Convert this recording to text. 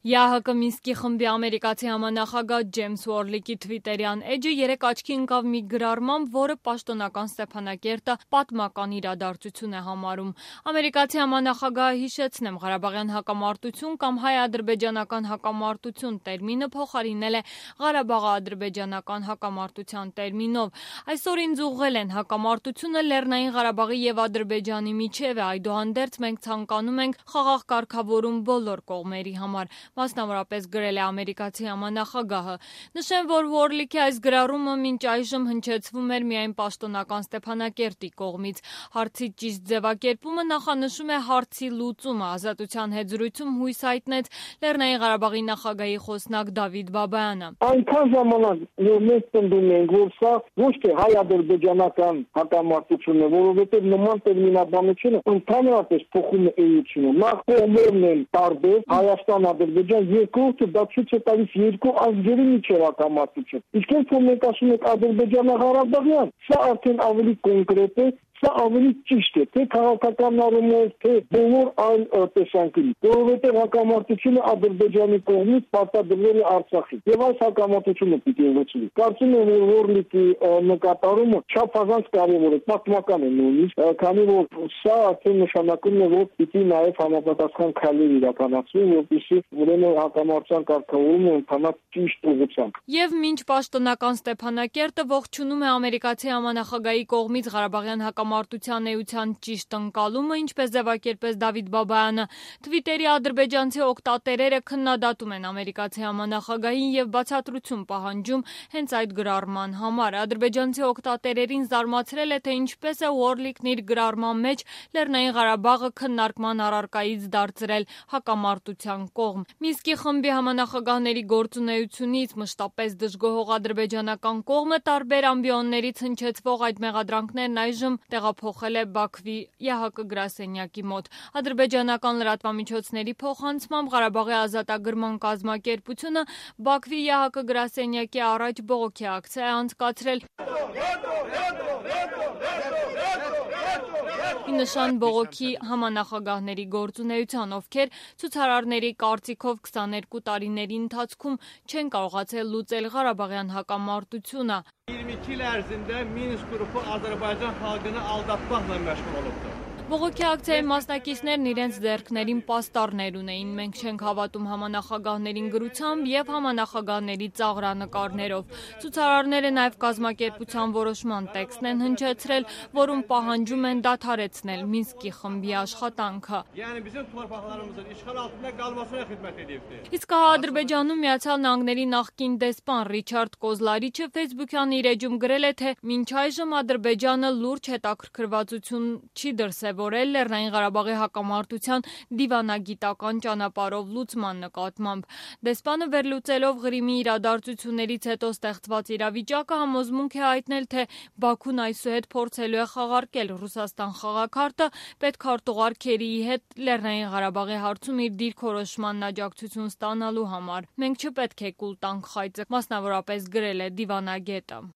ԵԱՀԿ Մինսկի խմբի ամերիկացի համանախագահ Ջեյմս Ուորլիկի թվիտերյան էջը երեկ աչքի ընկավ մի գրառմամբ, որը պաշտոնական Ստեփանակերտը պատմական իրադարձություն է համարում։ Ամերիկացի համանախագահը հիշեցնեմ, Ղարաբաղյան հակամարտություն կամ հայ-ադրբեջանական հակամարտություն տերմինը փոխարինել է Ղարաբաղի-ադրբեջանական հակամարտության տերմինով։ Այսօր ինձ ուղղել են հակամարտությունը Լեռնային Ղարաբաղի եւ Ադրբեջանի միջև է, այդուհանդերձ մենք ցանկանում ենք խաղաղ կարգավորում բոլոր կողմերի համար, մասնավորապես գրել է ամերիկացի համանախագահը։ Նշեմ, որ Ուորլիկի այս գրառումը մինչ այժմ հնչեցվում էր միայն պաշտոնական Ստեփանակերտի կողմից։ Հարցի ճիշտ ձևակերպումը նախանշում է հարցի լուծումը։ Ազատության հետ զրույցում հույս հայտնեց Լեռնային Ղարաբաղի նախագահի խոսնակ Դավիթ Բաբայանը։ Այնքան ժամանակ որ մենք պնդում ենք, որ սա ոչ թե հայ-ադրբեջանական հակամարտություն է, որովհետև նման տերմինաբանությունը ընդհանրապես փոխում է էությունը։ Նախ կողմերն են տարբեր, Հայաստան, Ադրբեջան, երկրորդը դա ցույց է տալիս երկու ազգերի միջև հակամարտություն։ Իսկ երբ որ մենք ասում ենք Ադրբեջանա-Ղարաբաղյան, սա արդեն ավելի կոնկրետ է, սա ավելի ճիշտ է, թե քաղաքական առումով, թե բոլոր այլ տեսանկյունից, որովհետև հակամարտությունը Ադրբեջանի կողմից պարտադրվել է Արցախին, եւ այս հակամարտությունը պիտի լուծվի։ Կարծում եմ, որ Ուորլիկի նկատառումը չափազանց կարևոր է, պատմական է նույնիսկ, քանի որ սա արդեն նշանակում է, որ պիտի նաեւ համապատասխան քայլեր իրականացվի, որպեսզի ուրեմն հակամարտության կարգավորումը ընթանա ճիշտ ուղղությամբ։ Եվ մինչ պաշտոնական Ստեփանակերտը ողջունում է ամերիկացի համանախագահի կողմից Ղարաբաղյան հակամարտության էության ճիշտ ընկալումը, ինչպես ձևակերպեց Դավիթ Բաբայանը, Թվիտերի ադրբեջանցի օգտատերերը քննադատում են ամերիկացի համանախագահին եւ բացատրություն պահանջում հենց այդ գրառման համար։ Ադրբեջանցի օգտատերերին զարմացրել է, թե ինչպես է Ուորլիկն իր գրառման մեջ Լեռնային Ղարաբաղը քննարկման առարկայից դարձրել հակամարտության կողմ։ Մինսկի խմբի համանախագահների գործունեությունից մշտապես դժգոհող ադրբեջանական կողմը տարբեր ամբիոններից հնչեցվող այդ մեղադրանքներն այժմ տեղափոխել է Բաքվի ԵԱՀԿ գրասենյակի մոտ։ Ադրբեջանական լրատվամիջոցների փոխանցմամբ Ղարաբաղի ազատագրման կազմակերպությունը Բաքվի ԵԱՀԿ գրասենյակի առաջ բողոքի ակցիա է անցկացրել։ Ի նշան բողոքի համանախագահների գործունեության, ովքեր ցուցարարների կարծիքով 22 տարիների ընթացքում չեն կարողացել լուծել Ղարաբաղյան հակամարտությունը։ 22 il ərzində Minsk qrupu Azərbaycan xalqını aldatmaqla məşğul olubdur։ Բողոքի ակցիայի մասնակիցներն իրենց ձեռքներին պաստառներ ունեին։ Մենք չենք հավատում համանախագահներին գրությամբ եւ համանախագահների ծաղրանկարներով։ Ցուցարարները նաեւ կազմակերպության որոշման տեքստն են հնչեցրել, որում պահանջում են դադարեցնել Մինսկի խմբի աշխատանքը։ Yəni bizim torpaqlarımızın işğal altında qalmasına xidmət edibdir։ Իսկ Ադրբեջանում Միացյալ Նահանգների նախկին դեսպան Ռիչարդ Կոզլարիչը Facebook-յան իր էջում գրել է, թե մինչ այժմ Ադրբեջանը լուրջ հետաքրքրվածություն չի դրսևորել Լեռնային Ղարաբաղի հակամարտության դիվանագիտական ճանապարհով լուծման նկատմամբ։ Դեսպանը վերլուծելով Ղրիմի իրադարձություններից հետո ստեղծված իրավիճակը համոզմունք է հայտնել, թե Բաքուն այսուհետ փորձելու է խաղարկել Ռուսաստան խաղաքարտը պետքարտուղար Քերիի հետ Լեռնային Ղարաբաղի հարցում իր դիրքորոշման աջակցություն ստանալու համար։ Մենք չպետք է կուլ տանք խայծը, մասնավորապես գրել է դիվանագետը։